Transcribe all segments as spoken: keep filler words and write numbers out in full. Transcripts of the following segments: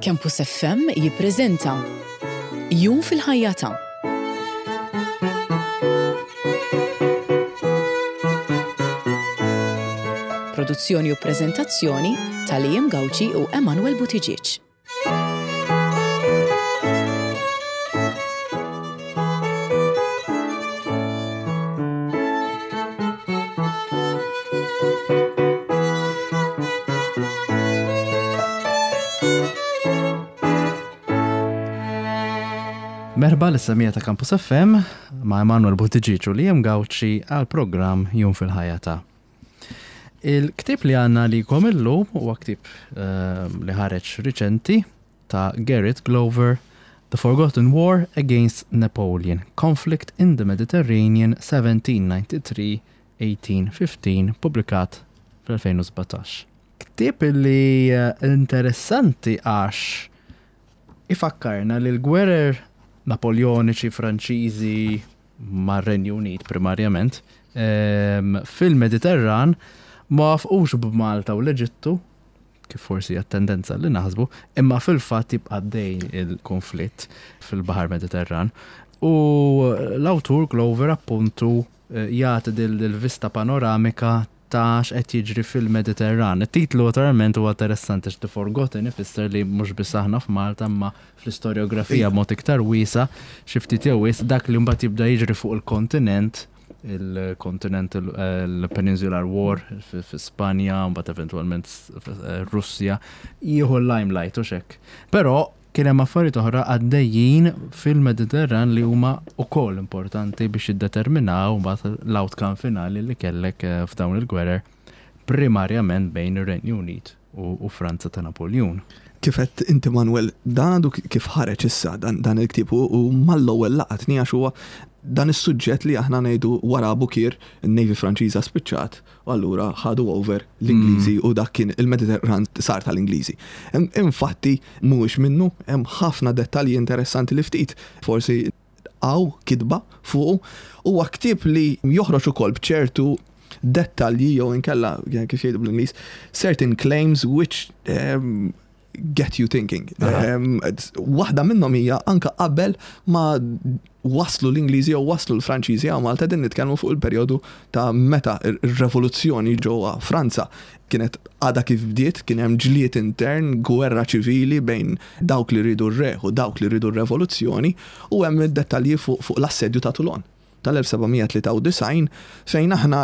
Campus F M jippreżenta Jum fil-ħajja ta' Produzzjoni u preżentazzjoni ta' Liam Gauci u Emanuel Buttigieg. Merħba lis-semmiegħa ta' Campus F M ma' Emanuel Buttigieg u Liam Gauci għal programm Jum fil-ħajja ta'. Il-ktib li għandna lilkom illum huwa ktib eh, li ħareġ riċenti ta' Garrett Glover, The Forgotten War Against Napoleon, Conflict in the Mediterranean seventeen ninety-three eighteen fifteen, publikat fl-elfejn u sbatax. Ktib li eh, interessanti għax ifakkarna li l-gwerer Napoleoniċi, Franċiżi, mar-Renju Unit primarjament, em, fil-Mediterran ma waqfux b'Malta u l-Eġittu, kif forsi hija tendenza li naħsbu, imma fil-fatt jibqa' dej il-konflitt fil-Baħar Mediterran. U l-awtur Glover appuntu eh, jagħti dil-vista panoramika ta' x'qed jiġri fil-Mediterran. Il-titlu naturalment huwa interessanti, The Forgotten ifisser li mhux biss aħna f'Malta, imma fl-istorjografija mod iktar wiesa' xi ftit jew wisq dak li mbagħad jibda jiġri fuq il-kontinent, il-kontinent, il-Peninsular War fi Spanja, mbagħad eventwalment Russja, jieħu l-limelight u hekk. Però kien hemm affarijiet oħra għaddejjin fil-Mediterran li huma wkoll importanti biex jiddeterminaw mbagħad l-outcome finali li kellek eh, f'dawn il-gwerer, primarjament bejn ir-Renju Unit u, u Franza ta' Napoleon. Kif għedt inti, Manuel, dan għadu kif ħareġ issa dan, dan il-ktib u, u mal-ewwel laqatni għax huwa dan is-suġġett li aħna ngħidu wara Abukir, in-Navy Franċiża spiċċat u allura ħadu over l-Ingliżi mm. u dak kien il-Mediterran sar tal-Ingliżi. Infatti mhuwiex minnu, hemm ħafna dettalji interessanti li ftit forsi għaw kitba fuq. Huwa ktieb li joħroġ ukoll b'ċertu dettalji jew inkella, kif jgħidu bl-Ingliż, certain claims which um, get you thinking. Um, waħda minnhom hija anka qabel ma waslu l-Ingliżi jew waslu l-Franċiżi għal Malta, din nitkellmu fuq il-perjodu ta' meta ir-revoluzzjoni ġewwa Franza kienet għada kif bdiet, kien hemm ġlied intern, gwerra ċivili bejn dawk li rridu r-re u dawk li rridu r-revoluzzjoni, u hemm id-dettalji fuq fu l-assedju ta' Toulon tal-elf seba' mija tlieta u disgħin, fejn aħna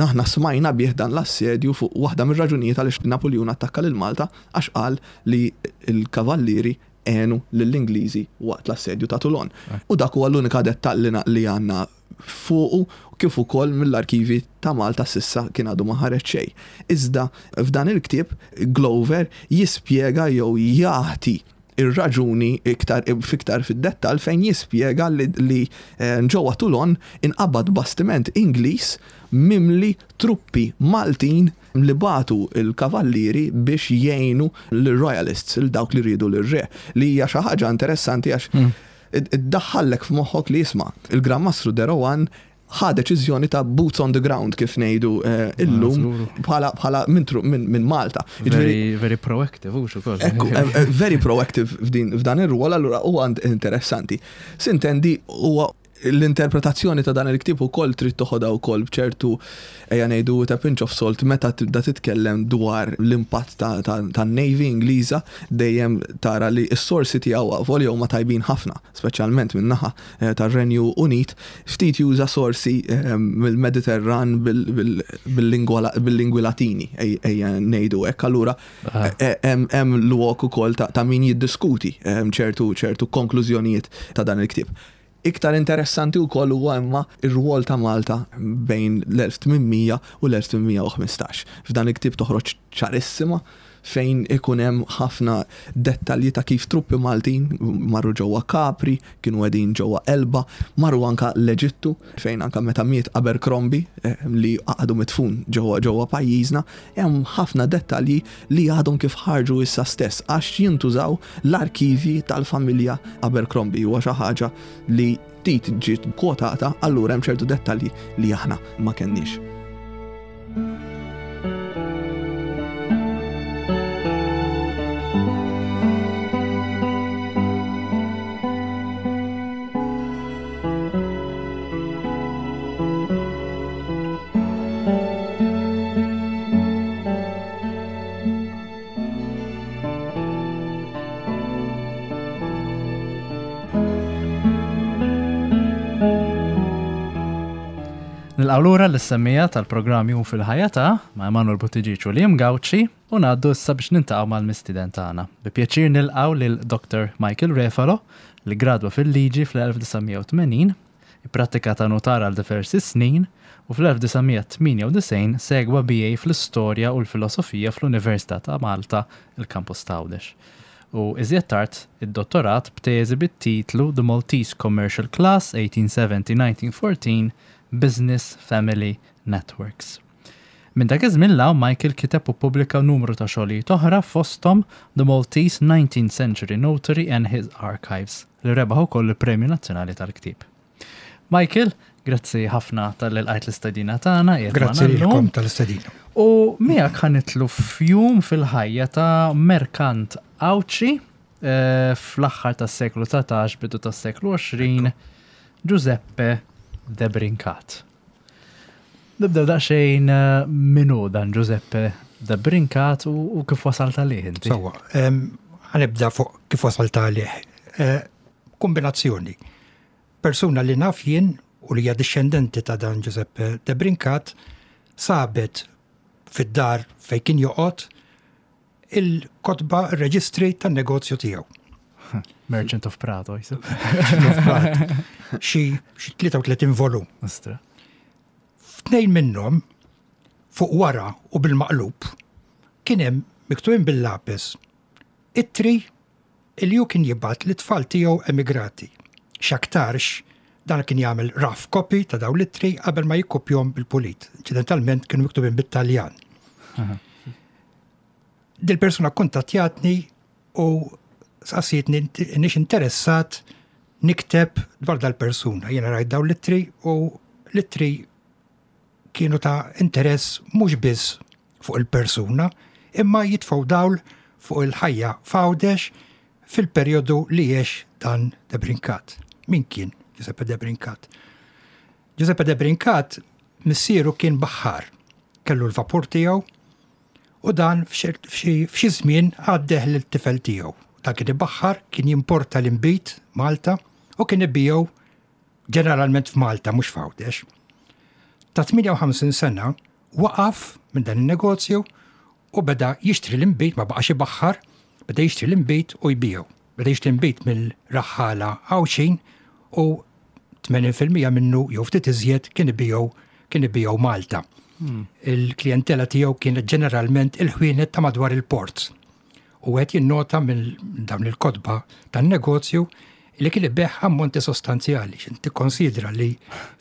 aħna smajna bih dan l-assedju fuq waħda mir-raġunijiet għaliex Napoleon attakka lil Malta, għax qal li l-kavallieri għenu lill-Ingliżi waqt l-assedju ta' Toulon. U dak huwa l-unika dettall li għandna fuqu, kif ukoll mill-arkivi ta' Malta s'issa kien għadu ma ħareġ xejn. Iżda f'dan il-ktieb Glover jispjega jew jagħti ir-raġuni iktar fiktar fid-dettal, fejn jispjega li, li eh, ġewwa Toulon inqabad bastiment Ingliż mimli truppi Maltin li bagħtu il-kavallieri biex jgħinu l-Royalists, il dawk li rridu l-re, li hija xi ħaġa interessanti għax mm. iddaħħallek f'moħħok li jisma' il-Gran Mastru de Rohan ħa deċiżjoni ta' boots on the ground, kif ngħidu eh, illum, bħala bħala minn min Malta. Very, very proactive, u ukoll. Eh, eh, very proactive f'dan ir-rwol, allura huwa interessanti. S'intendi, huwa l-interpretazzjoni ta' dan il-ktib ukoll trid toħodha wkoll b'ċertu, ejja ngħidu, ta' pinch of salt meta tibda titkellem dwar l-impatt ta' Navy Ingliża. Dejjem tara li s-sorsi tiegħu volja huma tajbin ħafna, speċjalment min-naħa eh, tar-Renju Unit, ftit juża sorsi eh, mill-Mediterran bil-lingwi Latini, ejja ngħidu hekk. Allura eh, hemm lok ukoll ta' min jiddiskuti ċertu ċertu konklużjonijiet ta' dan il-ktieb. Iktar interessanti wkoll huwa imma ir-rwol ta' Malta bejn l-elf tmien mija u l-elf tmien mija u ħmistax. F'dan il-ktieb toħroġ ċarissima fejn ikun hemm ħafna dettalji ta' kif truppi Maltin marru ġewwa Capri, kienu qegħdin ġewwa Elba, marru anka l-Eġittu, fejn anka meta miet Abercrombie eh, li għadu mitfun ġewwa ġewwa pajjiżna, hemm ħafna dettalji li għadhom kif ħarġu issa stess għax jintużaw l-arkivi tal-familja Abercrombie. Huwa xi ħaġa li ftit ġiet kwotata, allura hemm ċertu dettalji li aħna ma kenniex. Nilqgħu lura lis-semmiegħa tal-programm Jum fil-Ħajja ta' ma' Emanuel Buttigieg u Liam Gauci u ngħaddu issa biex niltaqgħu mal-mistieden tagħna. Bi pjaċir nilqgħu lil Dr. Michael Refalo li gradwa fil-liġi fl-elf disa' mija u tmenin, ipprattika ta' notar għal diversi snin u fl-elf disa' mija tmienja u disgħin segwa B A fl-istorja u l-filosofija fl-Università ta' Malta, il-Campus Għawdex. U iżjed tard id-dottorat b'teżi bit-titlu The Maltese Commercial Class eighteen seventy nineteen fourteen Business Family Networks. Minn dak iż-żmien 'l hawn Michael kiteb u ppubblika numru ta' xogħlijiet oħra, fosthom The Maltese nineteenth Century Notary and His Archives, li rebaħ ukoll il-Premju Nazzjonali tal-Ktieb. Michael, grazzi ħafna talli lqajt l-istedina tagħna. Qiegħed Grazzi magħna llum. lilkom tal-istedina. U miegħek ħa nidħlu f'jum fil-ħajja ta' merkant Għawdxi eh, fl-aħħar tas-seklu dsatax, bidu tas-seklu għoxrin, Giuseppe De Brincat. Nibdew daqsxejn eh, min hu dan Giuseppe De Brincat u, u kif wasalt għalih inti. Sewwa, em, ħa nibda fuq kif wasalt għalih. Eh, Kombinazzjoni. Persuna li naf jien u li hija dixxendenti ta' dan Giuseppe De Brincat sabet fid-dar fejn kien joqgħod il-kotba, ir-reġistri tan-negozju tiegħu. Merchant of Prato, jisu. Xi xi tlieta u tletin volum. Ostra. F'tnejn minnhom, fuq wara u bil-maqlub, kien hemm miktubin bil-lapis ittri li hu kien jibgħat lit-tfal tiegħu emigrati. X'aktarx dan kien jagħmel rough copy ta' dawn l-ittri qabel ma jikkopjahom bil-pulit. Inċidentalment kienu miktubin bit-Taljan. Dil-persuna kontattjatni u saqsietni nix interessat nikteb dwar dal-persuna. Jiena rajt dawn l-ittri u l-ittri kienu ta' interess mhux biss fuq il-persuna, imma jitfgħu dawl fuq il-ħajja f'Għawdex fil-perjodu li għex dan De Brincat. Min kien Giuseppe De Brincat? Giuseppe De Brincat missieru kien baħħar, kellu l-vapur tiegħu u dan f'xi f'xi żmien għaddeh lil-tifel tiegħu. Dan kien ibaħħar, kien jimporta l-inbid Malta u kien ibigħu ġeneralment f'Malta, mhux f'Għawdex. Ta' tmienja u ħamsin sena waqaf minn dan il-negozju u beda jixtri l-inbid, ma baqax ibaħħar, beda jixtri l-inbid u jbigħu. Beda jixtri l-inbid mill-raħħala Għawdxin u tmenin fil-mija minnu jew ftit iżjed kien ibigħu kien ibigħu Malta. Il-klientela tiegħu kienet ġeneralment il-ħwienet ta' madwar il-port. U qed jinnota minn dawn il-kotba tan-negozju li kien ibigħ ammonti sostanzjali. X'inti konsidra li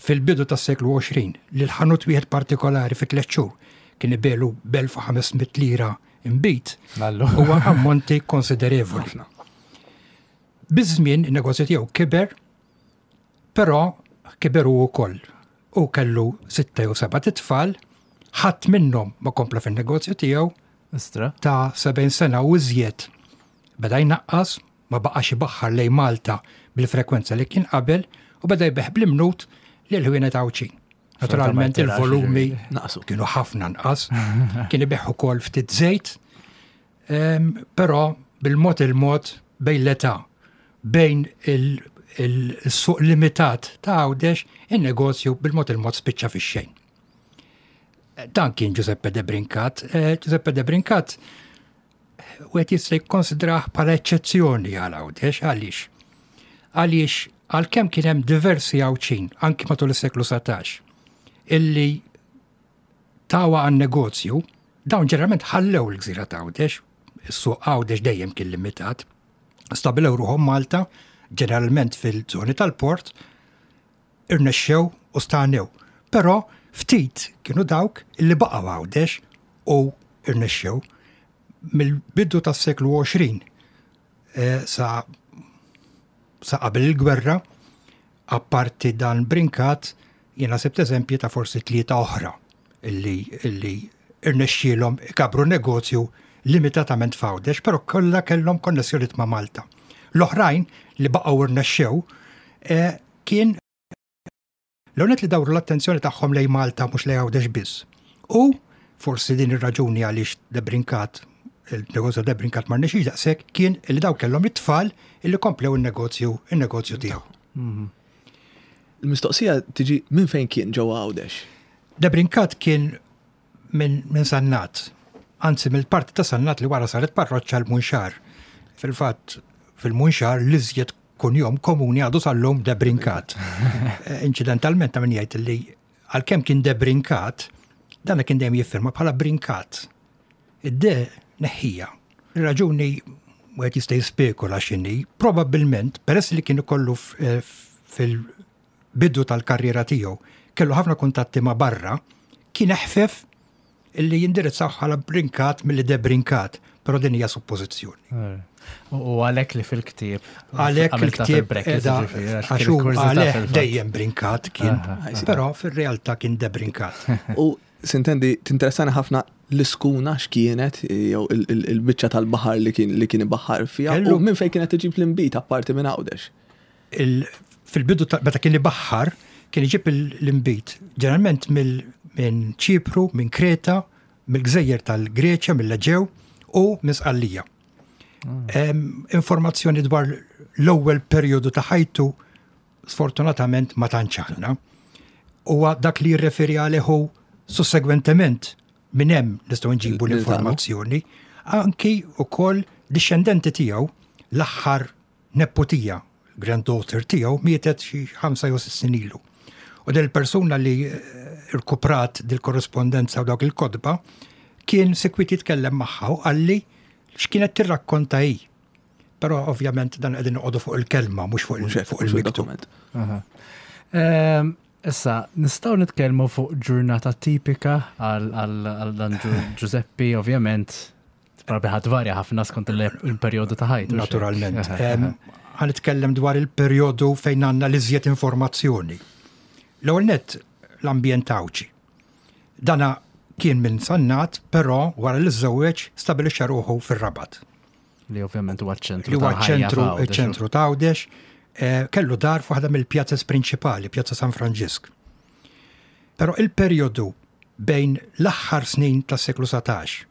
fil-bidu tas-seklu għoxrin li l-ħanut wieħed partikolari fi tliet xhur kien ibigħlu b'elf u ħames mitt lira inbid, Lallu. huwa ammonti konsiderevoli. Biż-żmien in-negozju tiegħu kiber, però kiber hu wkoll. U kellu sitta jew seba' tfal, ħadd minnhom ma kompla fin-negozju tiegħu. Ostra. Ta' sebgħin sena u iżjed beda jnaqqas, ma baqax ibaħħar lejn Malta bil-frekwenza li kien qabel u beda jbigħ bl-imnut lil ħwienet Għawdxin. Naturalment ma jtirax, il-volumi Naqsu. kienu ħafna nqas, kien ibigħ ukoll ftit żejt, em, però bil-mod il-mod bejn l-età, bejn il- il-suq limitat ta' Għawdex, il-negozju bil-mod il-mod spiċċa fix-xejn. Dan kien Giuseppe De Brincat. Eh, Giuseppe De Brincat wieħed jista' jikkonsidrah bħala eċċezzjoni għal Għawdex. Għaliex? Għaliex għalkemm kien hemm diversi Għawdxin anki matul is-seklu satax illi tawha għan-negozju, dawn ġeneralment ħallew il-gżira ta' Għawdex, is-suq Għawdex dejjem kien limitat, stabilew ruħhom Malta, ġeneralment fil-żoni tal-port, irnexxew u stanew. Però ftit kienu dawk illi baqgħu Għawdex u irnexxew. Mill-bidu tas-seklu għoxrin eh, sa sa qabel il-gwerra, apparti dan Brincat, jiena sibt eżempji ta' forsi tlieta oħra illi, illi irnexxielhom ikabru negozju limitatament f'Għawdex, però kollha kellhom konnessjonijiet ma' Malta. L-oħrajn li baqgħu irnexxew eh, kien l-għonet li dawru l-attenzjoni tagħhom lejn Malta, mhux lejn Għawdex biss. U forsi din ir-raġuni għaliex De Brincat, il-negozju De Brincat ma rnexxiex daqshekk, kien li daw kellhom it-tfal illi komplew il-negozju il-negozju tiegħu. Il-mistoqsija tiġi minn fejn kien ġewwa Għawdex? De Brincat kien minn min Sannat, anzi mill-parti ta' Sannat li wara saret parroċċa l-Munxar. Fil-fatt, fil-Munxar l-iżjed kunjom komuni għadu sal-lum De Brincat. Eh, Inċidentalment ta' min jgħid li għalkemm kien De Brincat, dan kien dejjem jiffirma bħala Brincat. Id-de neħħija. Ir-raġuni wieħed jista' jispekula x'inhi, probabbilment peress li kien ikollu f- eh, fil-bidu tal-karriera tiegħu kellu ħafna kuntatti ma' barra, kien eħfef illi jindirizzaw bħala Brincat milli De Brincat, però din hija suppożizzjoni. U u għalhekk li fil-ktieb. Għalhekk għamilta il-ktieb fil-brackets, edha, ġifieri, għax għax kien hu kurżità għaleh fil-fatt. dejjem Brincat kien, Aha, però fil-realtà kien De Brincat. U sintendi, tinteressani ħafna l-iskuna x'kienet, jew il- il- il-biċċa tal-baħar li kien li kien ibaħħar fiha, Kellu- u minn fejn kienet iġib l-inbid apparti minn Għawdex. Il- Fil-bidu ta' meta kien ibaħħar, kien iġib il- l-inbid, ġeneralment mill- minn Ċipru, minn Kreta, mill-Gżejjer tal-Greċja, mill-Eġew u minn Sqallija. Em, Informazzjoni dwar l-ewwel perjodu ta' ħajtu sfortunatament ma tantx għandna. Huwa dak li jirreferi għalih hu sussegwentement minn hemm nistgħu nġibu Lil- l-informazzjoni. Anki wkoll dixxendenti tiegħu l-aħħar neputija, granddaughter tiegħu mietet xi ħamsa jew sitt snin ilu. U del persuna li eh, irkuprat dil-korrespondenza u dawk il-kotba kien sekwit jitkellem magħha u qalli x'kienet tirrakkonta hi. Però ovvjament dan qegħdin noqogħdu fuq il-kelma mhux fuq il- Mhux hekk, fuq mhux il-miktub. il-dokument. Aha. Ehm, Issa, nistgħu nitkellmu fuq ġurnata tipika għal għal- għal dan Giu- Giuseppe, ovvjament, probabli ħa tvarja ħafna skont il- il-perjodu ta' ħajtu. Naturalment. Aha, Em, Ħa nitkellem dwar il-perjodu fejn għandna l-iżjed informazzjoni. L-ewwel nett l-ambjent Għawdxi. Dana kien minn Sannat, però wara li żżewweġ stabilixxa ruħu fir-Rabat. Li ovvjament huwa ċentru. Li huwa tal-ħajja ċentru f'Għawdex. ċentru ta' Għawdex, eh, kellu dar f'waħda mill-pjazzas prinċipali, Pjazza San Franġisk. Però il-perjodu bejn l-aħħar snin tas-seklu satax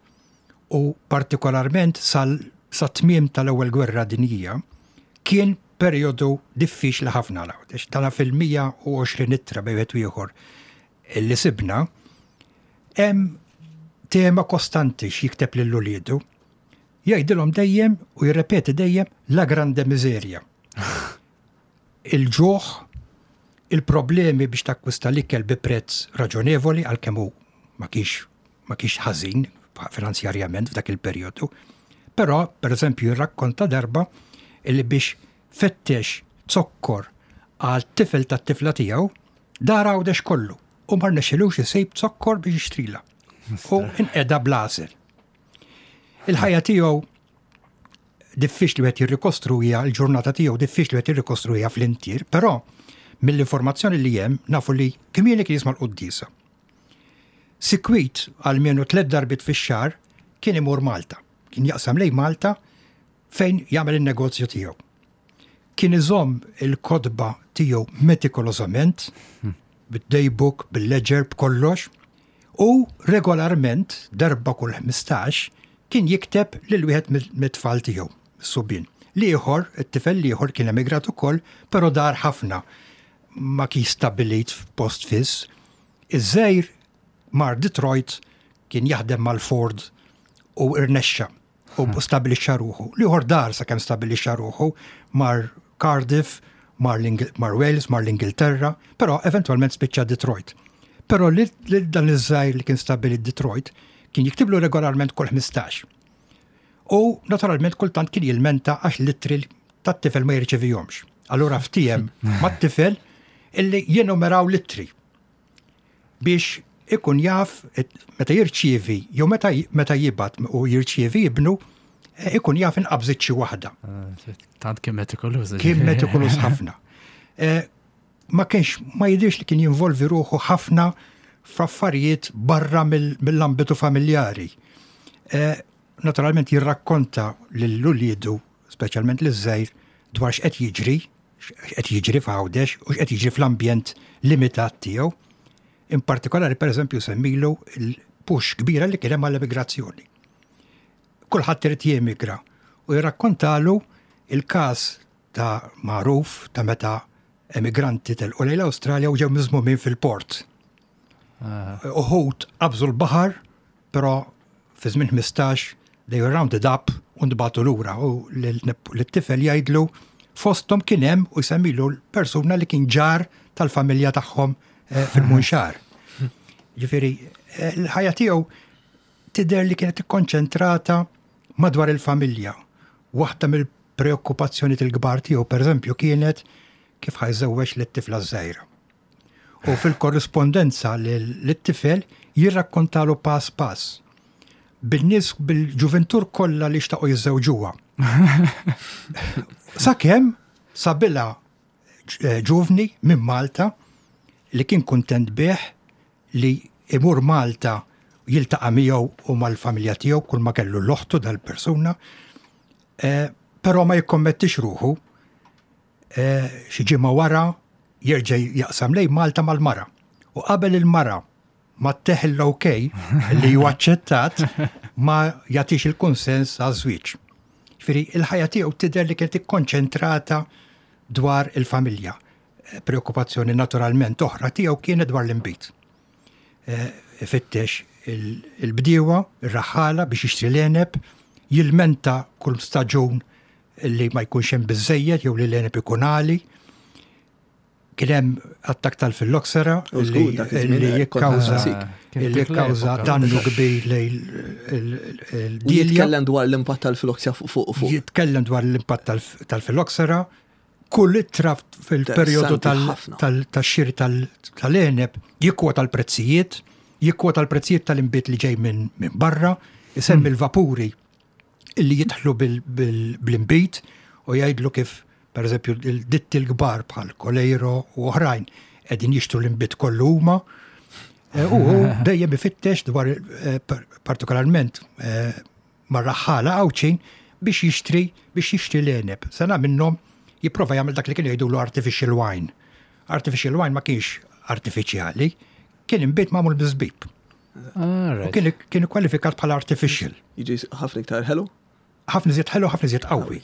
u partikolarment sal sa tmiem tal-ewwel gwerra dinjija kien perjodu diffiċli ħafna għal Għawdex. Tana fil-mija u għoxrin ittra bejn wieħed u ieħor li sibna hemm tema kostanti x'jikteb lil uliedu. Jgħidilhom dejjem u jirrepeti dejjem la grande miseria. Il-ġuħ, il-problemi biex takkwista l-ikel bi prezz raġonevoli, għalkemm hu ma kienx ma kienx ħażin finanzjarjament f'dak il-perjodu. Però, per eżempju, jirrakkonta darba illi biex fettex zokkor għal tifel tat-tifla tiegħu dar Għawdex kollu u ma rnexxilux isib zokkor biex jixtrila. U inqeda bl-għasel. Il-ħajja tiegħu diffiċli wieħed jirrikostruija, l-ġurnata tiegħu diffiċli wieħed jirrikostruija fl-intier, però mill-informazzjoni li hemm nafu li kmieni kien jisma' l-quddiesa. Sikwit għalmenu tliet darbiet fix-xahar kien imur Malta. Kien jaqsam lejn Malta fejn jagħmel in-negozju tiegħu. Kien iżomm il-kotba tiegħu metikolożament, bid-daybook, bil-ledger, b'kollox, u regolarment darba kull ħmistax kien jikteb lil wieħed mit-tfal tiegħu, subien. L-ieħor, it-tifel l-ieħor kien emigrat ukoll, però dar ħafna, ma kien stabbilit f'post fiss. Iż-żgħir mar Detroit, kien jaħdem mal-Ford u irnexxa u stabilixxa ruħu. L-ieħor dar sakemm stabilixxa ruħu, mar Cardiff, mar, mar Wales, mar l-Ingilterra, però eventualment spiċċa Detroit. Però li dan iż-żgħir li kien stabbilit Detroit kien jiktiblu regolarment kull ħmistax. U naturalment kultant kien jilmenta għax l-ittri tat-tifel ma jirċevihomx. Allura ftiehem mat-tifel illi jenumeraw l-ittri biex ikun jaf meta jirċievi jew meta meta jibgħat u jirċievi ibnu, eh, ikun jaf inqabżit xi waħda. Ah, tant kien metikoluż. Kien metikoluż ħafna. Eh, ma kienx ma jidirx li kien jinvolvi ruħu ħafna f'affarijiet barra mill-ambitu familjari. Eh, naturalment jirrakkonta lil uliedu, speċjalment liż-żgħir, dwar x'qed jiġri, x'qed jiġri f'Għawdex u x'qed jiġri fl-ambjent limitat tiegħu. In partikolari, per eżempju, semmilu il-push kbira li kien hemm għall-emigrazzjoni. Kulħadd irid jemigra u jirrakkontalu il-każ ta' magħruf ta' meta emigranti telqu lejn l-Awstralja u ġew miżmumin fil-port. Uħud qabżu l-baħar, però fi żmien ħmistax they were rounded up u ntbagħtu lura u lit-tifel jgħidlu fosthom kien hemm u jsemmilu l-persuna li kien ġar tal-familja tagħhom eh, fil-Munxar. Ġifieri, eh, l-ħajja tiegħu tidher li kienet ikkonċentrata madwar il-familja. Waħda mill-preokkupazzjoni il-kbar tiegħu pereżempju kienet kif ħa jżewweġ lit-tifla żgħira. U fil-korrispondenza lit-tifel jirrakkontalu pass pass. Bil-nies bil-ġuventur kollha li xtaqu jiżżewġuha. Sakemm sabilha eh, ġuvni minn Malta li kien kuntent bih li imur Malta jiltaqa' miegħu u mal-familja tiegħu kull ma kellu l-oħtu dal-persuna, eh, però ma jikkommettix ruħu eh, xi ġimgħa wara jerġa' jaqsam lejn Malta mal-mara. U qabel il-mara ma ttih l-ok li ju aċċettat ma jagħtix il-konsens għaż-żwieġ. Ġifieri il-ħajja tiegħu tidher li kienet ikkonċentrata dwar il-familja. Eh, Preokkupazzjoni naturalment oħra tiegħu kienet dwar l-inbid. Eh, Ifittex il-bdiewa, ir-raħħala biex jixtri l-għeneb, jilmenta kull staġun li ma jkunx hemm biżejjed jew li l-għeneb ikun għali. Kien hemm attak tal-filloxera U żgur, li dak iż-żmien li hekk jikkawża kont Kien li dik jikkawża l-epoka. dannu kbir lejn U il-dielja. jitkellem dwar l-impatt tal-filoxja fuq fuq fuq. Jitkellem dwar l-impatt tal- tal-filloxera, kull ittra fil-perjodu Interessanti ħafna. tal-xiri tal-għeneb jikkwota l-prezzijiet, jikkwota l-prezzijiet tal-inbid li ġej minn minn barra, isemmi l-vapuri illi jidħlu bil-inbid u jgħidlu kif per eżempju il-ditti l-kbar bħal Coleiro u oħrajn qegħdin jixtru l-inbid kollu huma. Eh, U hu dejjem ifittex dwar eh, par- partikolarment eh, mar-raħħala Għawdxin biex jixtri biex jixtri l-għeneb. Sena minnhom jipprova jagħmel dak li kien jgħidulu artificial wine. Artificial wine ma kienx artifiċjali, kien inbid magħmul biż-żbib. U kien kien kwalifikat bħala artificial. Jiġi ħafna iktar ħelu? Ħafna iżjed ħelu, ħafna iżjed qawwi.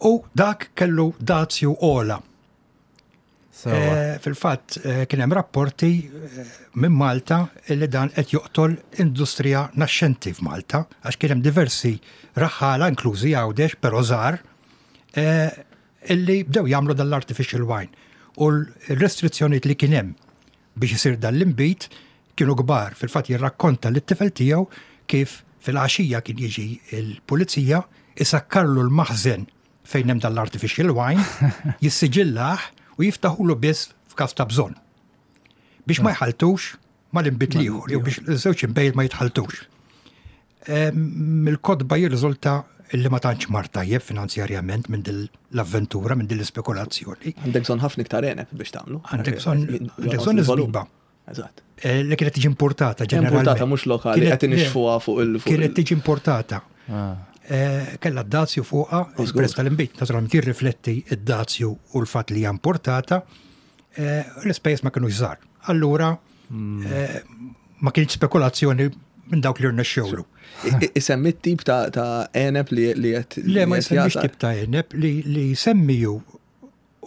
U dak kellu dazju ogħla. Eh, Fil-fatt eh, kien hemm rapporti eh, minn Malta li dan qed joqtol industrija naxxenti f'Malta għax kien hemm diversi raħħala inklużi Għawdex però żgħar eh, illi bdew jagħmlu dal-artificial wine. U l-restrizzjonijiet li kien hemm biex isir dan l-inbid kienu kbar. Fil-fatt jirrakkonta lit-tifel tiegħu kif fil-għaxija kien jiġi il-pulizija isakkarlu l-maħżen fejn hemm dal-artificial wine, jissiġillah u jiftaħulu biss f'każ ta' bżonn. Biex ma jħaltux mal-inbid l-ieħor, jew biex iż-żewġ inbejjed ma jitħaltux. Mill-kotba jirriżulta illi ma tantx mar tajjeb finanzjarjament minn din l-avventura, minn din l-ispekulazzjoni. Għandek bżonn ħafna iktar għeneb biex tagħmlu. Għandek bżonn għandek bżonn iż-żbiba. Eżatt. Eh, Li kienet tiġi importata ġeneralment. Importata mhux lokali, Kienet- qed inixfuha fuq il fuq Kienet il- tiġi importata. Eh, Kella d-dazju fuqha, U żgur. il-prezz tal-inbid, naturalment jirrifletti id-dazju u l-fatt li hija importata, eh, l-ispejjeż ma kienu żgħar. Allura eh, ma kienx spekulazzjoni minn dawk li rnexxewlu. I- i- Isemmi t-tip ta' ta' għeneb li li qed Le ma li qed jsemmix jagħta. tip ta' għeneb li li semmiju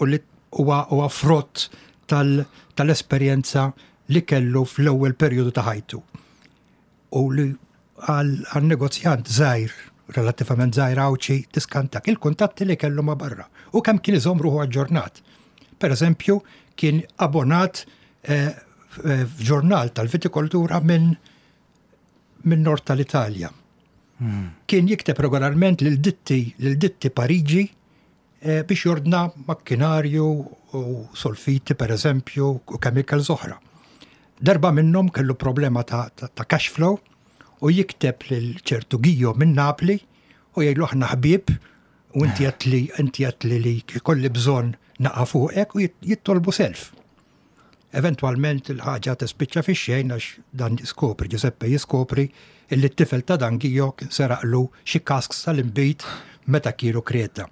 u li huwa huwa frott tal- tal-esperjenza li kellu fl-ewwel perjodu ta' ħajtu. U li għal għal negozjant żgħir, relattivament żgħir Għawdxi, tiskantak il-kuntatti li kellu ma' barra. U kemm kien iżomm ruħu aġġornat. Per eżempju, kien abbonat eh, f- f'ġurnal tal-vitikoltura minn minn nord tal-Italja. Kien jikteb regolarment lil ditti lil ditti Pariġi eh, biex jordna makkinarju u solfiti per eżempju u chemicals oħra. Darba minnhom kellu problema ta', ta, ta' cash flow u jikteb lil ċertu Gio minn Napli u jgħidlu aħna ħbieb u inti għedtli inti għedtli li kolli bżonn naqa' fuqek u jit- jittolbu self. Eventualment il-ħaġa tispiċċa fix-xejn għax dan jiskopri, Giuseppe jiskopri illi t-tifel ta' dan Gio kien seraqlu xi casks tal-inbid meta kienu Kreta.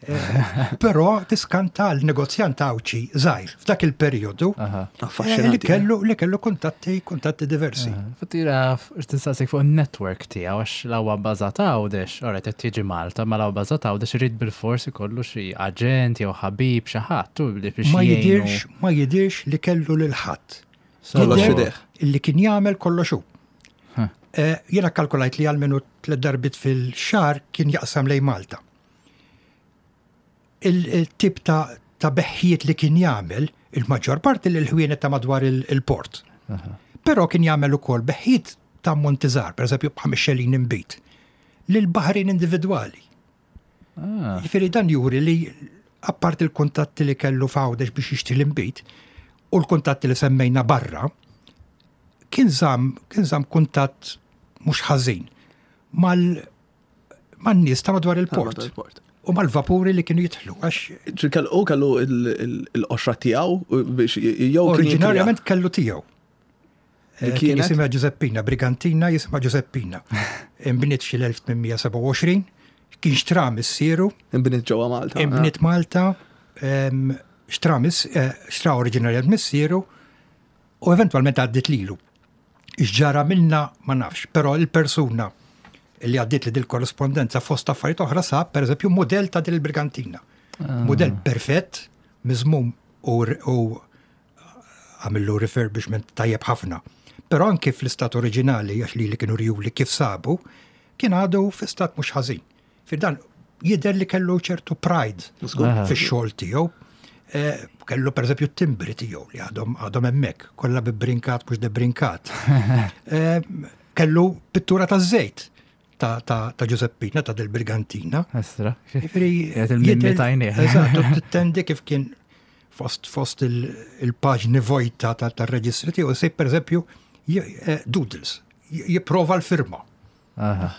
Eh, Però tiskanta l-negozjant Għawdxi żgħir f'dak il-perjodu eh, li Affaxxinanti. kellu li kellu kuntatti kuntatti diversi. Fattira, tistaqsik fuq il-network tiegħu għax l-għawa bażat Għawdex, ora qed tiġi Malta, ma l-għawa bażat Għawdex irid bil-forsi kollu xi aġent jew ħabib xi ħadd tu li biex Ma jgħinu. jidirx ma jidirx li kellu lil ħadd. Kollox Jidher f'idejh. Illi kien jagħmel kollox hu. Huh. Eh, Jiena kalkulajt li għalmenu tliet darbiet fil-xahar kien jaqsam lejn Malta. Il-tip ta' ta' beħħiet li kien jagħmel, il-maġġor parti l ħwienet ta' madwar il- il-port. Però kien jagħmel ukoll beħħiet ta' ammonti żgħar, per eżempju b'ħames xelin inbid, lil baħrin individwali. Ah, Jiġifieri dan juri li apart il-kuntatti li kellu f'Għawdex biex jixtri l-inbid u l-kuntatti li semmejna barra, kien żamm kien żamm kuntatt mhux ħażin mal man-nies ta' madwar il-port Il-port. u mal-vapuri li kienu jidħlu għax Ġi kellu u kellu il- il- il-qoxra tiegħu biex jew kien jikrija. oriġinarjament kellu tiegħu. Li Eh, Kien kienet? jisimha Giuseppina, Brigantina jisimha Giuseppina. Imbniet xi l-elf tmien mija sebgħa u għoxrin, kien xtra missieru, Imbniet ġewwa Malta. Imbniet Malta, em, xtra miss- eh, xtra oriġinarjament missieru u eventwalment għaddit lilu. X'ġara minna ma nafx, però il-persuna li għaddit li dil-korrespondenza fost affarijiet oħra sab, per eżempju, model ta' dil-Brigantina. Model perfett, miżmum u, u għamillu refurbishment tajjeb ħafna. Però anki fl-istat oriġinali, għax li li kienu rjuli kif sabu, kien għadu fi stat mhux ħażin. Fi dan jidher li kellu ċertu pride Aha. fix-xogħol tiegħu. Eh, Kellu per eżempju timbri tiegħu li għadhom għadhom hemmhekk, kollha bibrinkat mhux debrinkat. Eh, Kellu pittura ta' żejt ta' ta' ta' Giuseppina, ta' del Brigantina. Estra. Jiġifieri, Jgħid il-mimmi jidher- tajnieh. Eżatt, u tittendi kif kien fost fost il- il-paġni vojta ta' tar-reġistri tiegħu jsib per eżempju j- eh, doodles, j- jipprova l-firma. Aha.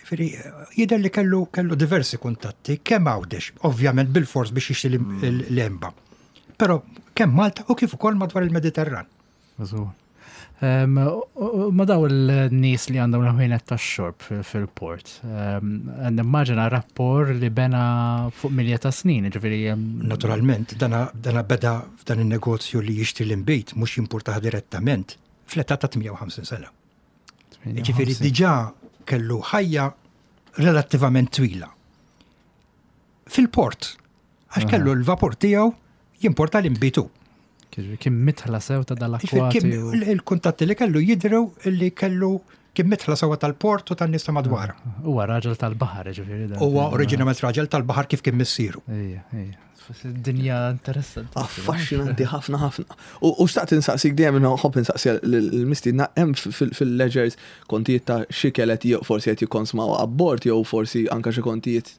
Jiġifieri, jidher li kellu kellu diversi kuntatti, kemm Għawdex, ovvjament bil-fors biex jixtri l- l-emba. Però kemm Malta u kif ukoll madwar il-Mediterran. Żgur. Em, u- u- Ma daw il-nies li għandhom l-ħwienet ta' xorb fil-port. Nimmaġina rapport li bena fuq milja ta' snin, ġifieri. em, Naturalment, dana, dana beda f'dan il-negozju li jixtri l-inbid, mhux jimportaha direttament, fl-età ta' tmienja u ħamsin sena. Ġifieri diġà kellu ħajja relattivament twila. Fil-port, għax kellu l-vapur tiegħu jimporta l-inbid. Kien mitħla sew ta' Ġifieri dal-akwati. kien u- il- Il-kuntatti li kellu jidhru li kellu kien mitħla sewa tal-port u tan-nies ta' madwar. Huwa raġel tal-baħar, ġifieri. dan. Huwa oriġinament raġel tal-baħar kif kien missieru. Ejja, ejja. Dinja interessanti. Affaxxinanti ħafna ħafna. U u xtaqt insaqsik dejjem nħobb insaqsi l-mistiedna hemm fil-ledgers kontijiet ta' xi kelet jew forsi qed jikkonsmaw abbord jew forsi anka xi kontijiet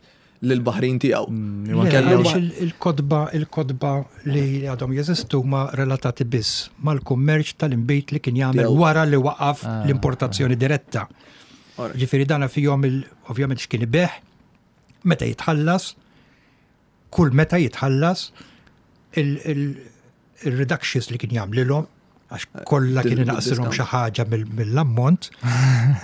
lill-baħrin tiegħu. Mm, Le, kellu għaliex il- il-kotba il-kotba li għadhom jeżistu ma relatati biss mal-kummerċ tal-inbid li kien jagħmel Tiegħu. wara li waqaf Ah, l-importazzjoni diretta. Alright. Ġifieri dana fihom il ovvjament x'kien ibigħ, meta jitħallas, kull meta jitħallas il-reductions li kien jagħmlilhom għax kollha kien Dil- inaqsilhom xi discount. ħaġa mill- mill-ammont.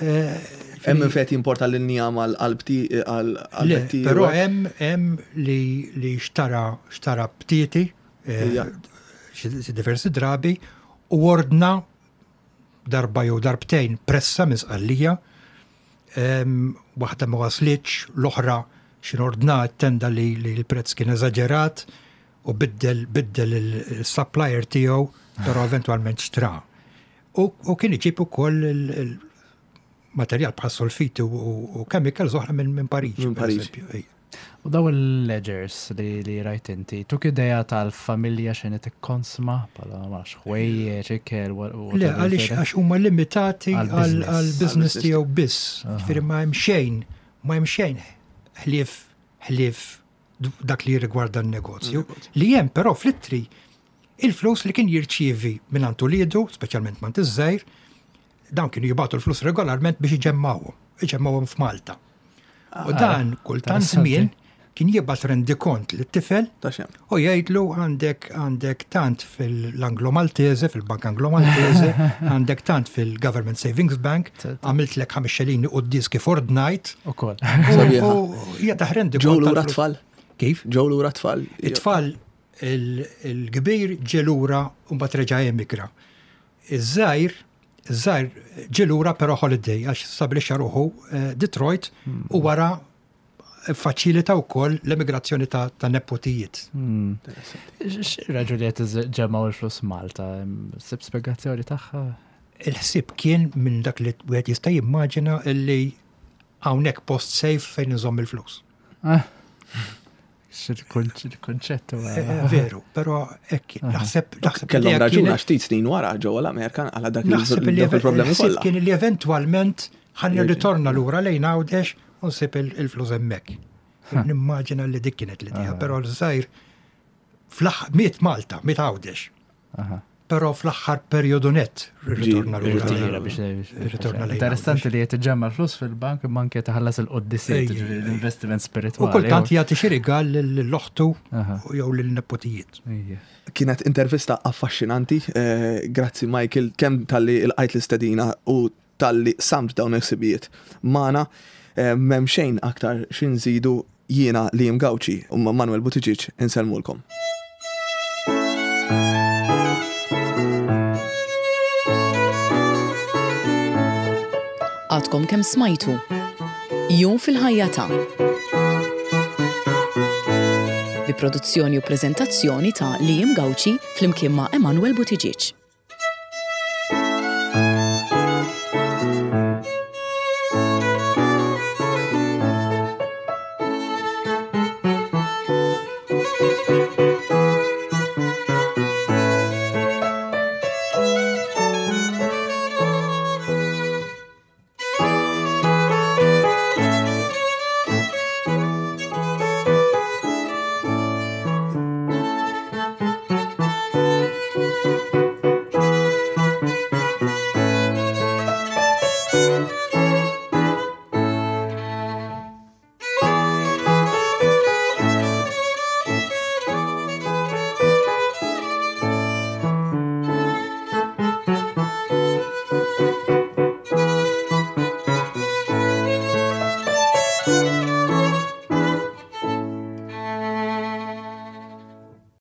Eh, Hemm min fejn jimporta l-injam għal-qalbti Le, għal-qalbti. però hemm hemm li li xtara xtara btieti eh, Ija. xi xi diversi drabi u ordna darba jew darbtejn pressa minn Sqallija. Em, Waħda ma waslitx, l-oħra xin ordna tenda li, li l-prezz kien eżaġerat u biddel biddel il-supplier tiegħu, però eventwalment xtra. U, u kien iġib ukoll il-materjal bħal solfiti u, u, u chemicals oħra minn min Pariġi. Minn per Pariġi. eżempju, ej. U daw il-ledgers li, li rajt inti, tuk ideja tal-familja x'inhi tikkonsma, bħala ma nafx, ħwejjeġ, ikel, u Le, għaliex għax huma limitati Għal-business. għal-business Għal-business. tiegħu biss. Ġifieri ma hemm xejn, ma hemm xejn ħlief ħlief dak li rigwarda n-negozju. Li hemm però fl-ittri il-flus li kien jirċievi minn għand uliedu, speċjalment minn iż-żgħir, dawn kienu jibgħatu l-flus regolarment biex iġemmawhom, iġemmawhom f'Malta. U dan kultant interessanti. żmien kien jibgħat rendikont lit-tifel Ta' xem. u jgħidlu għandek għandek tant fil-Anglo Maltese, fil-Bank Anglo Maltese, għandek tant fil-Government Savings Bank, għamiltlek ħames xelini u diski ordnajt. U kol. Sabiħa. U hija taħrendi Ġew lura tfal. Kif? Ġew lura tfal. It-tfal il- il-kbir ġie lura u mbagħad reġa' emigra. Iż-żgħir, iż-żgħir ġie lura però holiday għax stabilixxa ruħu eh, Detroit u wara Faċilita wkoll l-emigrazzjoni ta' ta' nepotijiet. Hmm. X'raġuni qed ġemgħu l-flus Malta? Sib spjegazzjoni tagħha? Il-ħsieb kien minn dak li wieħed jista' jimmaġina illi hawnhekk post safe fejn inżomm il-flus. Ah. X'il-kunċett huwa. Eh, eh, Veru, però hekk kien. Naħseb naħseb Kellhom l-idea raġun kienet- għax ftit snin wara ġewwa l-Amerika għala dak Naħseb li il- problemi il-ħsieb kollha. kien li eventwalment ħan Jerġa'. nirritorna lura lejn Għawdex u nsib il- il-flus hemmhekk. Nimmaġina li dik kienet l-idea, però l-żgħir fl-aħħar miet Malta, miet Għawdex. Aha. Però fl-aħħar perjodu net ritorna lura. Irritira lejn- biex Irritorna lejn Interessanti Għawdex. li qed iġemma l-flus fil-bank imma anke taħallas il-qoddisiet, Ejja, ġifieri ejja. l-investiment U spiritwali. kultant jagħti xi rigal lill-oħtu Aha. jew lill-nepotijiet. Ejja. Kienet intervista affaxxinanti, eh, grazzi Michael, kemm talli lqajt l-istedina u talli samt dawn il-ħsibijiet. Magħna, eh, m'hemm xejn aktar x'inżidu jiena Liam Gauci u Manuel Buttigieg insellmulkom. Għadkom kemm smajtu. Jum fil-ħajja ta' Bi produzzjoni u preżentazzjoni ta' Liam Gauci flimkien ma' Emanuel Buttigieg.